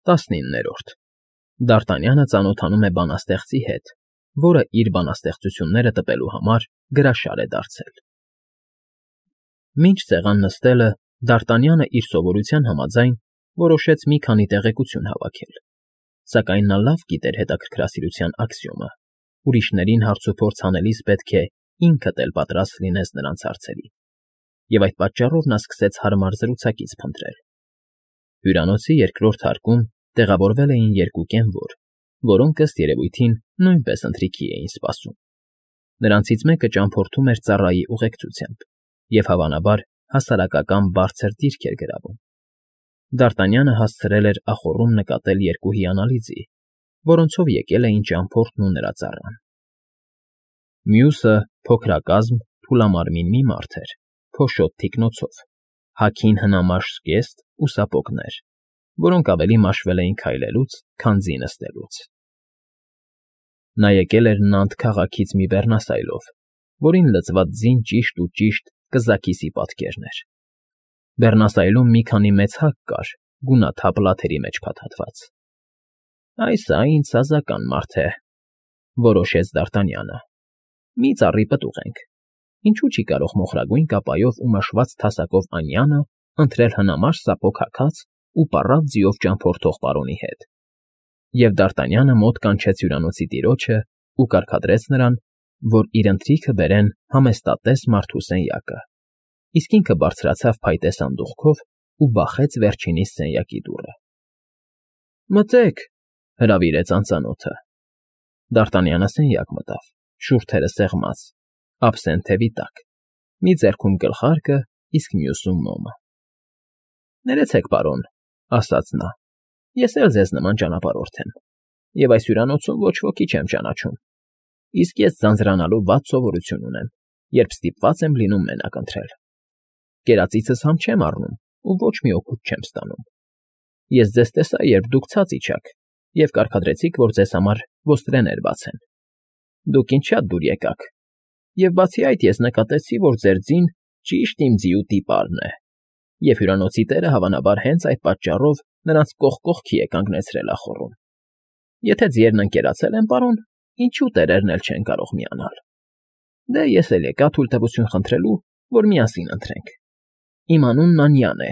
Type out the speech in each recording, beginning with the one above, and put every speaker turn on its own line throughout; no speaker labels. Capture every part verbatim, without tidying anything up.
տասնիններորդ Դարտանյանը ծանոթանում է բանաստեղծի հետ, որը իր բանաստեղծությունները տպելու համար գրաշար է դարձել։ Մինչ սեղան նստելը Դարտանյանը իր սովորության համաձայն որոշեց մի քանի տեղեկություն հավաքել, սակայն նա լավ գիտեր հետաքրքրասիրության աքսիոմը. ուրիշներին հարցուփորձ անելիս պետք է ինքդ էլ պատրաստ լինես նրանց հարցերին, և այդ պատճառով նա սկսեց հարմար զրուցակից փնտրել։ Հյուրանոցի երկրորդ հարկում տեղավորվել էին երկու կենվոր, որոնք ըստ երևույթին նույնպես ընթրիքի էին սպասում։ Նրանցից մեկը ճամփորդում էր ծառայի ուղեկցությամբ և, հավանաբար, հասարակական բարձր դիրք էր գրավում։ Դարտանյանը հասցրել էր ախոռում նկատել երկու հիանալի ձի, որոնցով եկել էին ճամփորդն ու նրա ծառան։ Մյուսը փոքրակազմ, թուլամարմին մի մարդ էր, փոշոտ թիկնոցով, հագին հնամաշ զգեստ ու սապոգներ, որոնք ավելի մաշվել էին քայլելուց, քան ձի նստելուց։ Նա եկել էր Նանտ քաղաքից մի բեռնասայլով, որին լցված ձին ճիշտ ու ճիշտ կզաքիսի պատկերն էր։ Բեռնասայլում մի քանի մեծ հակ կար, գունաթափ լաթերի մեջ փաթաթված։ «Այս ա ինձ սազական մարդ է,֊ որոշեց Դարտանյանը։֊ Մի ծառի պտուղ ենք, ինչու չի կարող մոխրագույն կապայով ու մաշված թասակով անյանը ընտրել հնամաշ սապոգ հագած ու պառավ ձիով ճամփորդող պարոնի հետ»։ Եվ Դարտանյանը մոտ կանչեց հյուրանոցի տիրոջը ու կարգադրեց նրան, որ իր ընթրիքը բերեն համեստատես մարդու սենյակը, իսկ ինքը բարձրացավ փայտե սանդուղքով ու բախեց վերջինիս սենյակի դուռը։ «Մտե՛ք,֊ հրավիրեց անծանոթը։ Դարտանյանը սենյակ մտավ, շուրթերը սեղմած, ափսեն թևի տակ, մի ձեռքում գլխարկը, իսկ մյուսում մոմը։ «Ներեցեք, պարոն,֊ ասաց նա,֊ ես էլ ձեզ նման ճանապարհորդ եմ, և այս հյուրանոցում ոչ ոքի չեմ ճանաչում, իսկ ես ձանձրանալու վատ սովորություն ունեմ, երբ ստիպված եմ լինում մենակ ընթրել։ Կերածիցս համ չեմ առնում ու ոչ մի օգուտ չեմ ստանում։ Ես ձեզ տեսա, երբ դուք ցած իջաք և կարգադրեցիք, որ ձեզ համար ոստրեներ բացեն։ Դուք ինձ շատ դուր եկաք, և բացի այդ ես նկատեցի, որ ձեր ձին ճիշտ իմ ձիու տիպարն է, և հյուրանոցի տերը հավանաբար հենց այդ պատճառով նրանց կողք կողքի է կանգնեցրել ախոռում։ Եթե ձիերն ընկերացել են, պարոն, ինչու տերերն էլ չեն կարող միանալ։ Դե ես էլ եկա թույլտվություն խնդրելու, որ միասին ընթրենք։ Իմ անունն Անյան է,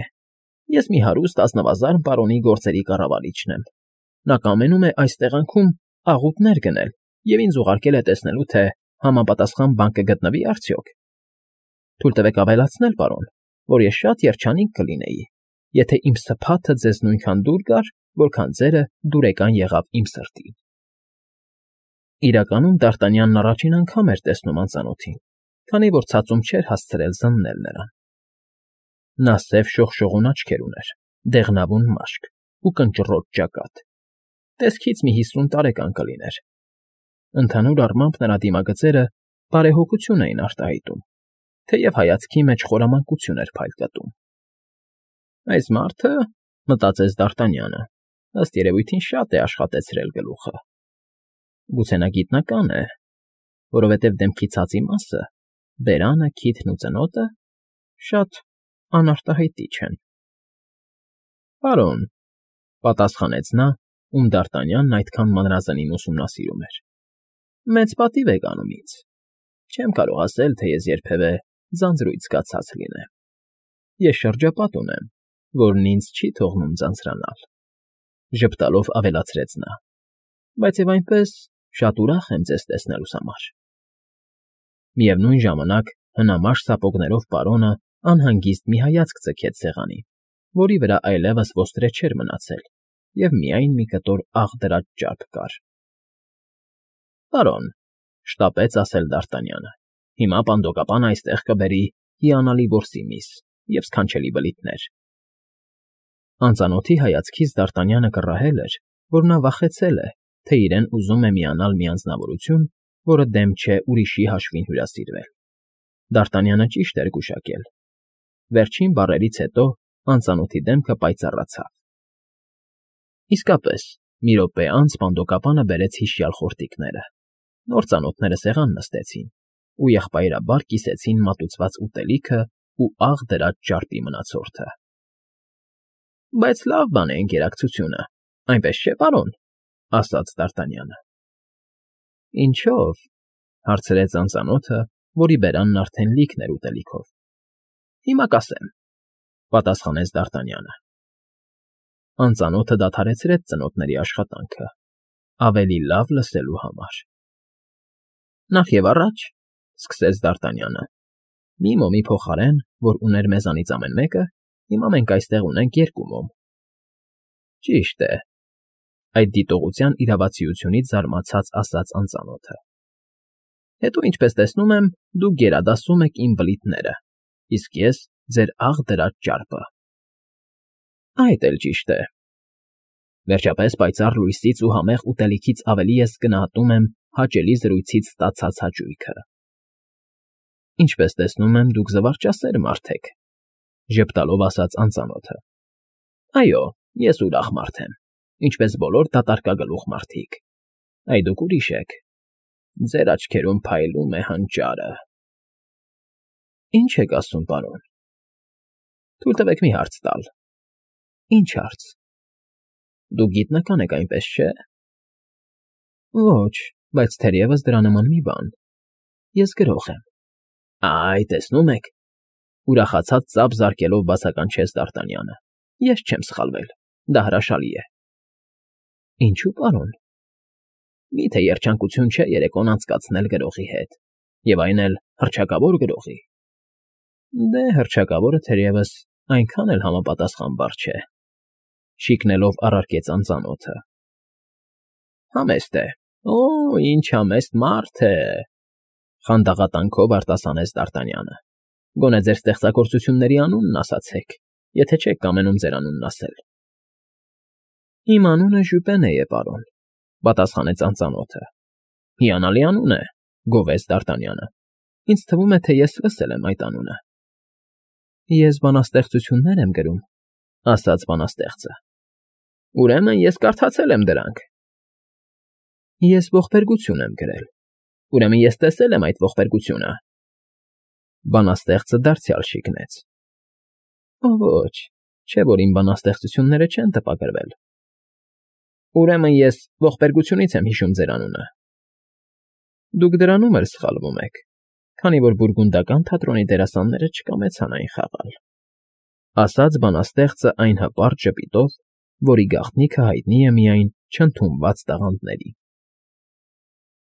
ես մի հարուստ ազնվազարդ պարոնի գործերի կառավարիչն եմ։ Նա կամենում է այս տեղանքում աղուտներ գնել և ինձ ուղարկել է տեսնելու, թե համապատասխան բան կգտնվի արդյոք։ Թույլ տվեք ավելացնել, պարոն, որ ես շատ երջանիկ կլինեի, եթե իմ սփաթը ձեզ նույնքան դուր գար, որքան ձերը դուրեկան եղավ իմ սրտին։ Իրականում Դարտանյանն առաջին անգամ էր տեսնում անծանոթին, քանի որ ցածում չէր հասցրել զննել նրան։ Նա սև շողշողուն աչքեր ուներ, դեղնավուն մաշկ ու կնճռոտ ճակատ, տեսքից մի հիսուն տարեկան կլիներ։ Ընդհանուր առմամբ նրա դիմագծերը բարեհոգություն էին արտահայտում, թեև հայացքի մեջ խորամանկություն էր փայլկտում։ «Այս մարդը,֊ մտածեց Դարտանյանը,֊ ըստ երևույթին շատ է աշխատեցրել գլուխը։ Գուցե նա գիտնական է, որովհետև դեմքի ցածի մասը, բերանը, քիթն ու ծնոտը շատ անարտահայտիչ են»։ «Պարոն,֊ պատասխանեց նա, ում Դարտանյանն այդքան մանրազնին ուսումնասիրում էր,֊ մեծ պատիվ եք անում ինձ։ Չեմ կարող ասել, թե ես երբևէ ձանձրույթ զգացած լինեմ։ Ես շրջապատ ունեմ, որն ինձ չի թողնում ձանձրանալ,֊ ժպտալով ավելացրեց նա,֊ բայց և այնպես շատ ուրախ եմ ձեզ տեսնելուս համար»։ Միևնույն ժամանակ հնամաշ սապոգներով պարոնը անհանգիստ մի հայացք ձգեց սեղանին, որի վրա այլևս ոստրե չէր մնացել և միայն մի կտոր աղ դրած ճարպ կար։ «Պարոն,֊ շտապեց ասել Դարտանյանը,֊ հիմա պանդոկապանը այստեղ կբերի հիանալի որսի միս և սքանչելի բլիթներ»։ Անծանոթի հայացքից Դարտանյանը կռահել էր, որ նա վախեցել է, թե իրեն ուզում է միանալ մի անձնավորություն, որը դեմ չէ ուրիշի հաշվին հյուրասիրվել։ Դարտանյանը ճիշտ էր գուշակել։ Վերջին բառերից հետո անծանոթի դեմքը պայծառացավ։ Իսկապես, մի րոպե անց պանդոկապանը բերեց հիշյալ խորտիկները։ Նոր ծանոթները սեղան նստեցին ու եղբայրաբար կիսեցին մատուցված ուտելիքն ու աղ դրած ճարպի մնացորդը։ «Բայց լավ բան է ընկերակցությունը,֊ Այնպես չէ, պարոն, ասաց Դ'Արտանյանը։ Ինչո՞վ, հարցրեց անծանոթը, որի բերանն արդեն լիքն էր ուտելիքով։ Հիմա կասեմ, պատասխանեց Դ'Արտանյանը։ Անծանոթը դադարեցրեց ծնոտների աշխատանքը, ավելի լավ լսելու համար։ Նախ և առաջ, սկսեց Դ'Արտանյանը, մի մոմի փոխարեն, որ ուներ մեզանից ամեն մեկը, հիմա մենք այստեղ ունենք երկու մոմ։ Ճիշտ է, այդ դիտողության իրավացիությունից զարմացած ասաց անծանոթը։ Հետո, ինչպես տեսնում եմ, դուք գերադասում եք իմ բլիթները, իսկ ես ձեր աղ դրած ճարպը։ Այդ էլ ճիշտ է։ Վերջապես պայծառ լույսից ու համեղ ուտելիքից ավելի ես գնահատում եմ հաճելի զրույցից ստացած հաճույքը։ Ինչպես տեսնում եմ, դուք զվարճասեր մարդ եք, ժպտալով ասաց անծանոթը։ Այո, ես ուրախ մարդ եմ, ինչպես բոլոր դատարկագլուխ մարդիկ։ Այ դուք ուրիշ եք։ Ձեր աչքերում փայլում է հանճարը։ Ինչ եք ասում, պարոն։ Թույլ տվեք մի հարց տալ։ Ինչ հարց։ Դուք գիտնական եք, այնպես չէ։ Ոչ, բայց թերևս դրա նման մի բան։ Ես գրող եմ։ Այ, տեսնում եք, ուրախացած ծափ զարկելով բացականչեց Դ'Արտանյանը։ Ես չեմ սխալվել, դա հրաշալի է։ Ինչու, պարոն։ Միթե երջանկություն չէ երեկոն անցկացնել գրողի հետ, և այն էլ հռչակավոր գրողի։ Դե, հռչակավորը թերևս այնքան էլ համապատասխանաբար չէ, շիկնելով առարկեց անծանոթը։ Համեստ է, օ, ինչ համեստ մարդ է, խանդաղատանքով արտասանեց Դ'Արտանյանը։ Գոնե ձեր ստեղծագործությունների անունն ասացեք, եթե չեք կամենում ձեր անունն ասել։ Իմ անունը Ժյուպենե է, պարոն, պատասխանեց անծանոթը։ Հիանալի անուն է, գովեց Դ'Արտանյանը։ Ինձ թվում է, թե ես լսել եմ այդ անունը։ Ես բանաստեղծություններ եմ գրում, ասաց բանաստեղծը։ Ուրեմն ես կարդացել եմ դրանք։ Ես ողբերգություն եմ գրել։ Ուրեմն ես տեսել եմ այդ ողբերգությունը։ Բանաստեղծը դարձյալ շիկնեց։ Ոչ, չէ՞ որ իմ բանաստեղծությունները չեն տպագրվել։ Ուրեմն ես ողբերգությունից եմ հիշում ձեր անունը։ Դուք դրանում էլ սխալվում եք, քանի որ բուրգունդական թատրոնի դերասանները չկամեցան այն խաղալ, ասաց բանաստեղծը այն հպարտ ժպիտով, որի գաղտնիքը հայտնի է միայն չընդունված տաղանդներին։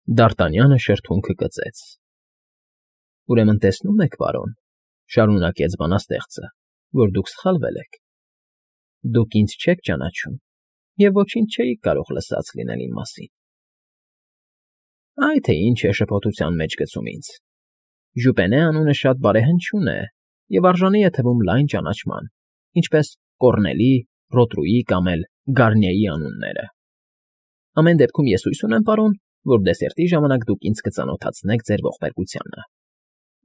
Դ'Արտանյանը շրթունքը կծեց։ Ուրեմն տեսնում եք, պարոն, շարունակեց բանաստեղծը, որ դուք սխալվել եք։ Դուք ինձ չեք ճանաչում և ոչինչ չէիք կարող լսած լինել իմ մասին։ Այ թե ինչ է շփոթության մեջ գցում ինձ։ Ժուպենե անունը շատ բարեհնչյուն է և արժանի է թվում լայն ճանաչման, ինչպես Կոռնելի, Ռոտրուի կամ էլ Գարնիեի անունները։ Ամեն դեպքում ես հույս ունեմ, պարոն, որ դեսերտի ժամանակ դուք ինձ կծանոթացնեք ձեր ողբերգությանը։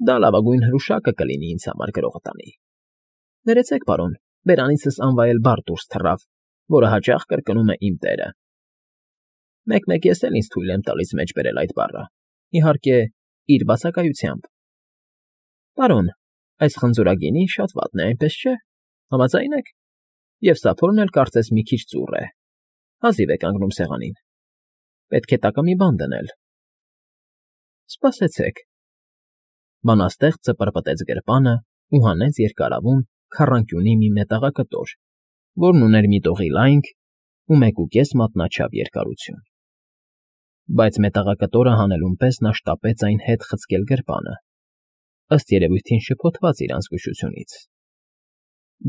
Դա լավագույն հրուշակը կլինի ինձ համար գրողը տանի։ Ներեցեք, պարոն, բերանիցս անվայել բառ դուրս թռավ, որը հաճախ կրկնում է իմ տերը։ Մեկ֊մեկ ես էլ ինձ թույլ եմ տալիս մեջ բերել այդ բառը, իհարկե, իր բացակայությամբ։ Պարոն, այս խնձորագինին շատ վատն է, այնպես չէ։ Համաձայն եք։ Եվ սափորն էլ կարծես մի քիչ ծուռ է։ Հազիվ է կանգնում սեղանին։ Պետք է տակը մի բան դնել։ Սպասեցեք։ Բանաստեղծը պրպտեց գրպանը ու հանեց երկարավուն քառանկյունի մի մետաղակտոր, որն ուներ մի տողի լայնք ու մեկուկես մատնաչափ երկարություն։ Բայց մետաղակտորը հանելուն պես նա շտապեց այն հետ խցկել գրպանը, ըստ երևույթին շփոթված իր անզգուշությունից։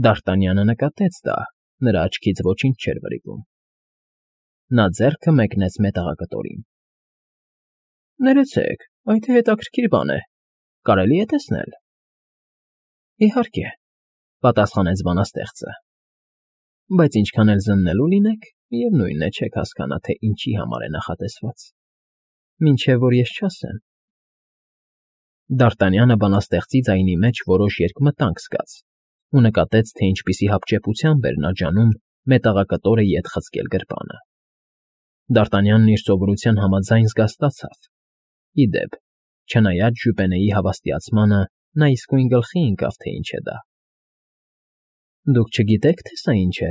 Դ'Արտանյանը նկատեց դա, նրա աչքից ոչինչ չէր վրիպում։ Նա ձեռքը մեկնեց մետաղակտորին։ Ներեցեք, այդ հետաքրքիր բան է, կարելի է տեսնել։ Իհարկե, պատասխանեց բանաստեղծը։ Բայց ինչքան էլ զննելու լինեք, միևնույն է, չեք հասկանա, թե ինչի համար է նախատեսված, մինչև որ ես չասեմ։ Դ'Արտանյանը բանաստեղծի ձայնի մեջ որոշ երկմտանք զգաց ու նկատեց, թե ինչպիսի հապճեպությամբ էր նա ջանում մետաղակտորը ետ խցկել գրպանը։ Դ'Արտանյանն իր սովորության համաձայն զգաստացավ։ Ի դեպ, չնայած Ժուպենեի հավաստիացմանը, նա իսկույն գլխի ընկավ, թե ինչ է դա։ Դուք չգիտեք, թե սա ինչ է,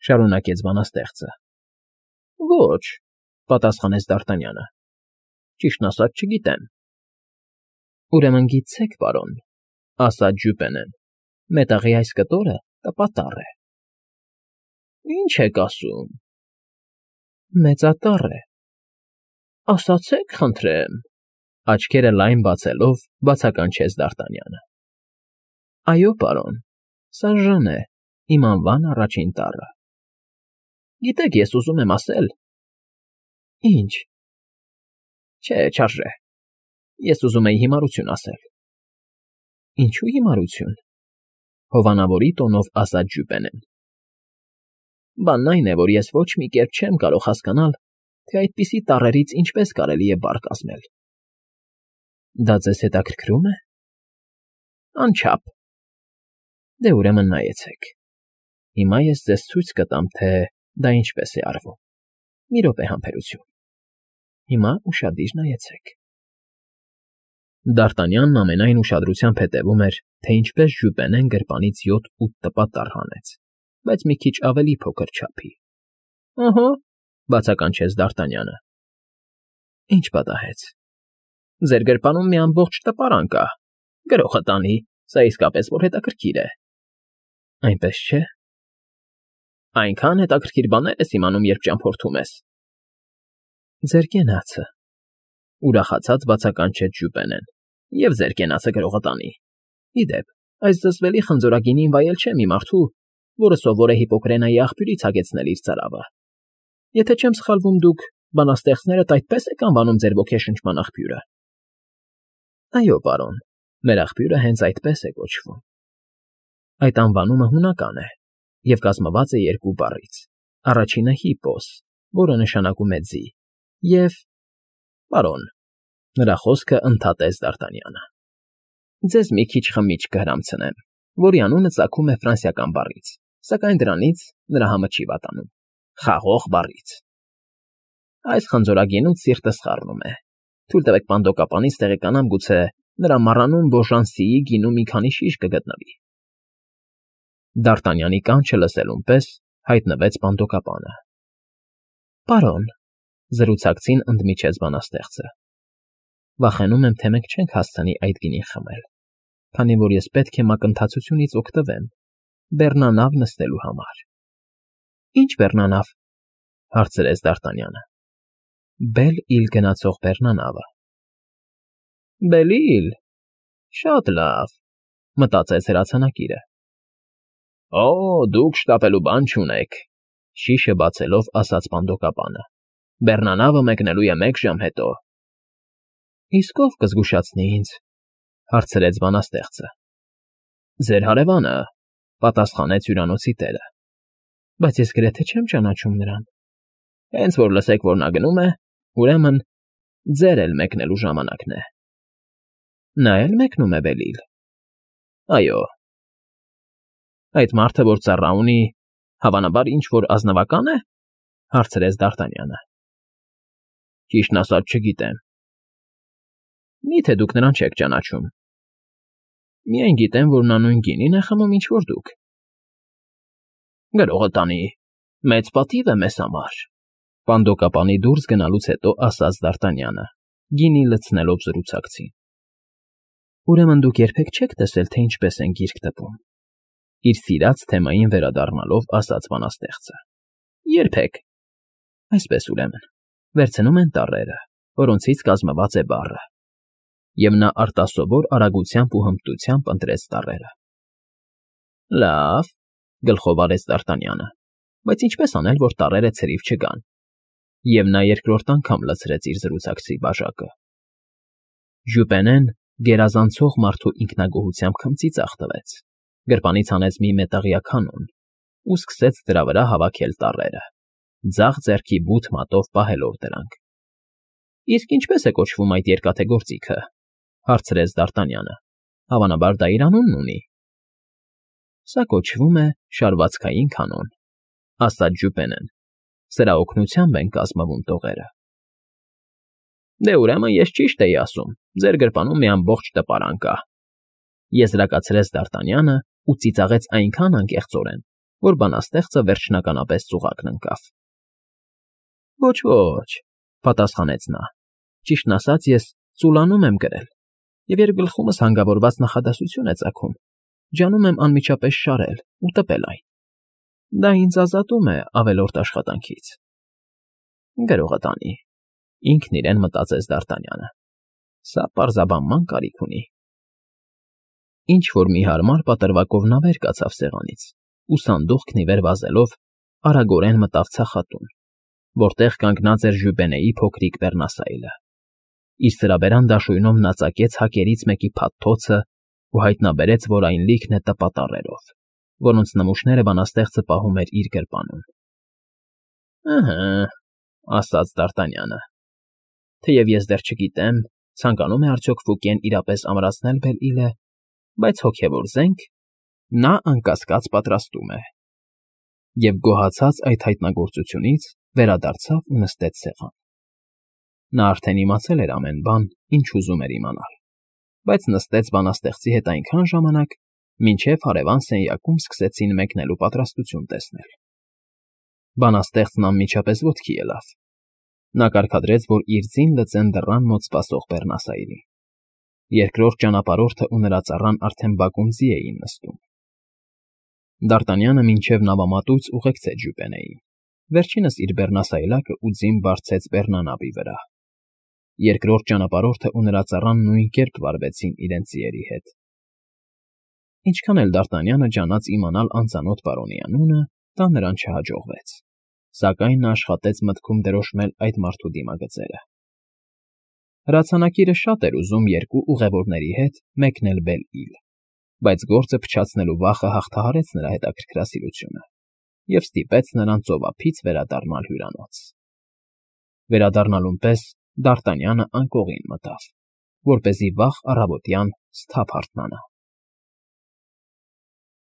շարունակեց բանաստեղծը։ Ոչ, պատասխանեց Դ'Արտանյանը։ Ճիշտն ասած չգիտեմ։ Ուրեմն գիտեք, պարոն, ասաց Ժյուպենեն, մետաղի այս կտորը տպատառ է։ Ինչ եք ասում։ Մեծատառ է։ Ասացեք, խնդրեմ, աչքերը լայն բացելով բացականչեց Դ'Արտանյանը։ Այո, պարոն, սարժան է, իմ անվան առաջին տառը։ Գիտեք, ես ուզում եմ ասել… Ինչ։ Չէ, չարժե։ Ես ուզում էի հիմարություն ասել։ Ինչու հիմարություն, հովանավորի տոնով ասաց Ժյուպենեն։ Բանն այն է, որ ես ոչ մի կերպ չեմ կարող հասկանալ, թե այդպիսի տառերից ինչպես կարելի է բառ կազմել։ Դա ձեզ հետաքրքրում է։ Անչափ։ Դե ուրեմն նայեցեք։ Հիմա ես ձեզ ցույց կտամ, թե դա ինչպես է արվում։ Մի րոպե համբերություն։ Հիմա ուշադիր նայեցեք։ Դ'Արտանյանն ամենայն ուշադրությամբ հետևում էր, թե ինչպես Ժյուպենեն գրպանից յոթ֊ութ տպատառ հանեց, բայց մի քիչ ավելի փոքր չափի։ Ահա, բացականչեց Դ'Արտանյանը։ Ինչ պատահեց։ Ձեր գրպանում մի ամբողջ տպարան կա։ Գրողը տանի, սա իսկապես որ հետաքրքիր է։ Այնպես չէ։ Այնքան հետաքրքիր բաներ ես իմանում, երբ ճամփորդում ես։ Ձեր կենացը, ուրախացած բացականչեց Ժյուպենեն, և ձեր կենացը գրողը տանի։ Ի դեպ, այս զզվելի խնձորագինին վայել չէ մի մարդու, որը սովոր է Հիպոկրենայի աղբյուրից հագեցնել իր ծարավը։ Եթե չեմ սխալվում, դուք բանաստեղծներդ այդպես եք անվանում ձեր ոգեշնչման աղբյուրը։ Այո, պարոն, մեր աղբյուրը հենց այդպես է կոչվում։ Այդ անվանումը հունական է և կազմված է երկու բառից. առաջինը հիպոս, որը նշանակում է ձի, և… Պարոն, նրա խոսքը ընդհատեց Դ'Արտանյանը։ Ձեզ մի քիչ խմիչք կհրամցնեմ, որի անունը ծագում է ֆրանսիական բառից, սակայն դրանից նրա համը չի վատանում. խաղող բառից։ Այս խնձորագինուց սիրտս խառնում է։ Թույլ տվեք պանդոկապանից տեղեկանամ, գուցե նրա մառանում Բոժանսիի գինու մի քանի շիշ կգտնվի։ Դ'Արտանյանի կանչը լսելուն պես հայտնվեց պանդոկապանը։ Պարոն, զրուցակցին ընդմիջեց բանաստեղծը, վախենում եմ, թե մենք չենք հասցնի այդ գինին խմել, քանի որ ես պետք է մակընթացությունից օգտվեմ բեռնանավ նստելու համար։ Ինչ բեռնանավ, հարցրեց Դ'Արտանյանը։ Բել֊Իլ գնացող բեռնանավը։ Բել֊Իլ, շատ լավ, մտածեց հրացանակիրը։ Օ, դուք շտապելու բան չունեք, շիշը բացելով ասաց պանդոկապանը։ Բեռնանավը մեկնելու է մեկ ժամ հետո։ Իսկ ով կզգուշացնի ինձ, հարցրեց բանաստեղծը։ Ձեր հարևանը, պատասխանեց հյուրանոցի տերը։ Բայց ես գրեթե չեմ ճանաչում նրան։ Հենց որ լսեք, որ նա գնում է, ուրեմն ձեր էլ մեկնելու ժամանակն է։ Նա էլ մեկնում է Բել֊Իլ։ Այո։ Այդ մարդը, որ ծառա ունի, հավանաբար ինչ-որ ազնվակա՞ն է, հարցրեց Դ'Արտանյանը։ Ճիշտն ասած չգիտեմ։ Մի՞թե դուք նրան չեք ճանաչում։ Միայն գիտեմ, որ նա նույն գինին է խմում, ինչ որ դուք։ Գրողը տանի, մեծ պատիվ է մեզ համար, պանդոկապանի դուրս գնալուց հետո ասաց Դ'Արտանյանը, գինի լցնելով զրուցակցին։ Ուրեմն դուք երբեք չեք տեսել, թե ինչպես են գիրք տպում։ Իր սիրած թեմային վերադառնալով ասաց բանաստեղծը։ Երբեք։ Այսպես ուրեմն, վերցնում են տառերը, որոնցից կազմված է բառը, և նա արտասովոր արագությամբ ու հմտությամբ ընտրեց տառերը։ Լավ, գլխով արեց Դ'Արտանյանը, բայց ինչպես անել, որ տառերը ցրիվ չգան։ Եվ նա երկրորդ անգամ լցրեց իր զրուցակցի բաժակը։ Ժյուպենեն գերազանցող մարդու ինքնագոհությամբ քմծիծաղ տվեց, գրպանից հանեց մի մետաղյա կանոն ու սկսեց դրա վրա հավաքել տառերը, ձախ ձեռքի բութ մատով պահելով դրանք։ Իսկ ինչպես է կոչվում այդ երկաթե գործիքը, հարցրեց Դ'Արտանյանը։ Հավանաբար դա իր անունն ունի։ Սա կոչվում է շարվածքային կանոն, ասաց Ժյուպենեն։ Սրա օգնությամբ են կազմվում տողերը։ Դե ուրեմն ես ճիշտ էի ասում, ձեր գրպանում մի ամբողջ տպարան կա, եզրակացրեց Դ'Արտանյանը ու ծիծաղեց այնքան անկեղծորեն, որ բանաստեղծը վերջնականապես ծուղակն ընկավ։ Ոչ, ոչ,֊ պատասխանեց նա։֊ Ճիշտն ասած, ես ծուլանում եմ կրել, և երբ գլխումս հանգավորված նախադասություն է ծագում, ջանում եմ անմիջապես շարել ու տպել այն. դա ինձ ազատում է ավելորդ աշխատանքից։ ֊ Գրողը տանի,֊ ինքն իրեն մտածեց Դ'Արտանյանը։֊ Սա պարզաբանման կարիք ունի։ Ինչ֊որ մի հարմար պատրվակով նա վեր կացավ սեղանից ու սանդուղքն ի վեր վազելով արագորեն մտավ ցախատուն, որտեղ կանգնած էր Ժյուպենեի փոքրիկ բեռնասայլը։ Իր սրաբերան դաշույնով նա ծակեց հակերից մեկի փաթթոցն ու հայտնաբերեց, որ այն լիքն է տպատառերով, որոնց նմուշները բանաստեղծը պահում էր իր գրպանում։ ֊ Ըհը,֊ ասաց Դ'Արտանյանը։֊ Թեև ես դեռ չգիտեմ, ցանկանում է արդյոք Ֆուկեն իրապես ամրացնել Բել֊Իլը, բայց հոգևոր զենք նա, անկասկած, պատրաստում է։ Եվ գոհացած այդ հայտնագործությունից վերադարձավ ու նստեց սեղան։ Նա արդեն իմացել էր ամեն բան, ինչ ուզում էր իմանալ, բայց նստեց բանաստեղծի հետ այնքան ժամանակ, մինչև հարևան սենյակում սկսեցին մեկնելու պատրաստություն տեսնել։ Բանաստեղծն անմիջապես ոտքի ելավ։ Նա կարգադրեց, որ իր ձին լծեն դռան մոտ սպասող բեռնասայլին։ Երկրորդ ճանապարհորդն ու նրա ծառան արդեն բակում ձի էին նստում։ Դ'Արտանյանը մինչև նավամատույց ուղեկցեց Ժյուպենեին, վերջինս իր բեռնասայլակը ու ձին բարձեց բեռնանավի վրա։ Երկրորդ ճանապարհորդն ու նրա ծառան նույն կերպ վարվեցին իրենց ձիերի հետ։ Ինչքան էլ Դ'Արտանյանը ջանաց իմանալ անծանոթ պարոնի անունը, դա նրան չհաջողվեց, սակայն նա աշխատեց մտքում դրոշմել այդ մարդու դիմագծերը։ Հրացանակիրը շատ էր ուզում երկու ուղևորների հետ մեկնել Բել֊Իլ, բայց գործը փչացնելու վախը հաղթահարեց նրա հետաքրքրասիրությունը և ստիպեց նրան ծովափից վերադառնալ հյուրանոց։ Վերադառնալուն պես Դ'Արտանյանը անկողին մտավ, որպեսզի վաղ առավոտյան սթափ հարթնանա։